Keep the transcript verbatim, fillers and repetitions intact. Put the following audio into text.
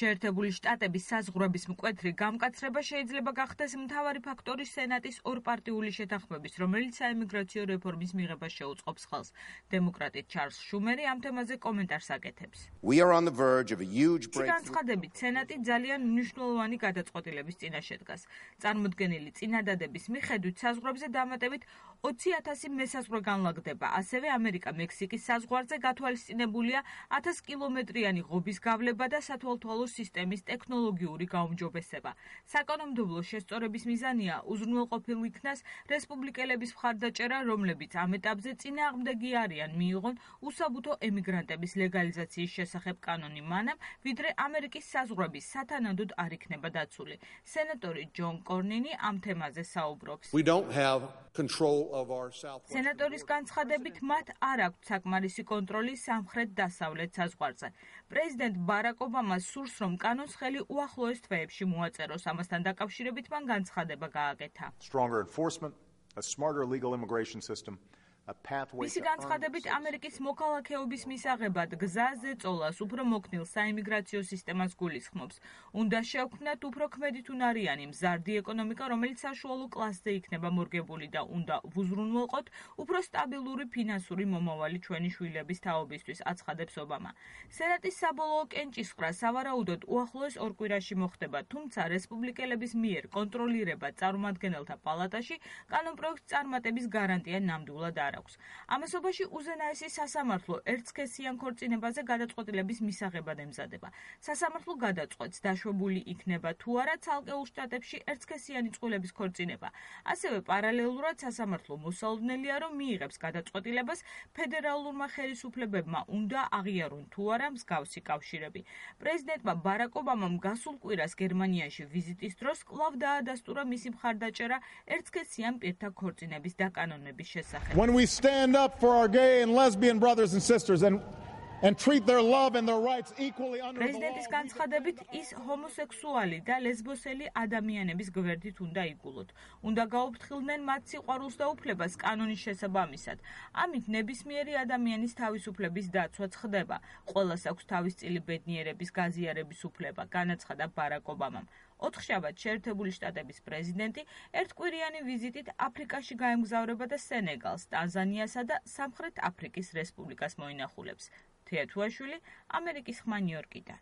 შეერთებული შტატების საზღვრების მკვეთრი გამკაცრება შეიძლება გახდეს მთავარი ფაქტორი სენატის ორპარტიული შეთანხმების, რომელიც საიმიგრაციო რეფორმის მიღებას შეუწყობს ხელს. დემოკრატი ჩარლზ შუმერი ამ თემაზე კომენტარს აკეთებს. განცხადებით, სენატი ძალიან მნიშვნელოვანი გადაწყვეტილების წინაშე დგას. წარმოდგენილი წინადადების მიხედვით საზღვრებზე დამატებით ოცი ათასი მესაზღვრე განლაგდება. ასევე ამერიკა-მექსიკის საზღვარზე გათვალისწინებულია ათას კილომეტრიანი ღობის გავლება და სათვალთვალო სისტემის ტექნოლოგიური გაუმჯობესება. საკანონმდებლო შესწორების მიზანია უზრუნველყოფილ იქნას რესპუბლიკელების მხარდაჭერა, რომლებიც ამ ეტაპზე წინააღმდეგი არიან მიიღონ უსაბუთო ემიგრანტების ლეგალიზაციის შესახებ კანონი მანამ, ვიდრე ამერიკის საზღვრები სათანადოდ არ იქნება დაცული. სენატორი ჯონ კორნინი ამ თემაზე საუბრობს. სენატორის განცხადებით, მათ არ აქვთ საკმარისი კონტროლი სამხრეთ-დასავლეთ საზღვარზე. პრეზიდენტ ბარაკ ობამას სურს, რომ კანონს ხელი უახლოეს თვეებში მოაწეროს. ამასთან დაკავშირებით მან განცხადება გააკეთა. მისი განცხადებით, ამერიკის მოქალაქეობის მისაღებად გზაზე წოლას უფრო მოქნილ საიმიგრაციო სისტემას გულისხმობს. უნდა შევქმნათ უფრო ქმედითუნარიანი მზარდი ეკონომიკა, რომელიც საშუალო კლასზე იქნება მორგებული და უნდა ვუზრუნველყოთ უფრო სტაბილური ფინანსური მომავალი ჩვენი შვილების თაობისთვის, აცხადებს ობამა. სენატის საბოლოო კენჭისყრა სავარაუდოდ უახლოეს ორ კვირაში მოხდება, თუმცა რესპუბლიკელების მიერ კონტროლირება წარმომადგენელთა პალატაში კანონპროექტს წარმატების გარანტია ნამდვილად არ აქვს. ამასობაში უზენაესი სასამართლო ერთსქესიან ქორწინებაზე გადაწყვეტილების მისაღებად ემზადება. სასამართლო გადაწყვეტს, დაშვებული იქნება თუ არა ცალკეულ შტატებში ერთსქესიანი წყვილების ქორწინება. ასევე პარალელურად სასამართლო მოსალოდნელია, რომ მიიღებს გადაწყვეტილებას ფედერალურმა ხელისუფლებებმა უნდა აღიარონ თუ არა მსგავსი კავშირები. პრეზიდენტმა ბარაკ ობამამ გასულ კვირას გერმანიაში ვიზიტის დროს კვლავ დაადასტურა მისი მხარდაჭერა ერთსქესიან პირთა ქორწინების დაკანონების შესახებ. When we stand up for our gay and lesbian brothers and sisters and and treat their love and their rights equally under the law. პრეზიდენტის განცხადებით, ის ჰომოსექსუალი და ლესბოსელი ადამიანების გვერდით უნდა იგულოთ. უნდა გაუფრთხილდნენ მათ სიყვარულს და უფლებას კანონის შესაბამისად. ამით ნებისმიერი ადამიანის თავისუფლების დაცვა ხდება. ყველას აქვს თავისწილი ბედნიერების გაზიარების უფლება, განაცხადა ბარაკ ობამამ. ოთხშაბათ შეერთებული შტატების პრეზიდენტი ერთკვირიანი ვიზიტით აფრიკაში გაემგზავრება და სენეგალს, ტანზანიასა და სამხრეთ აფრიკის რესპუბლიკას მოინახულებს. თეა თუაშვილი, ამერიკის ხმა ნიუ-იორკიდან.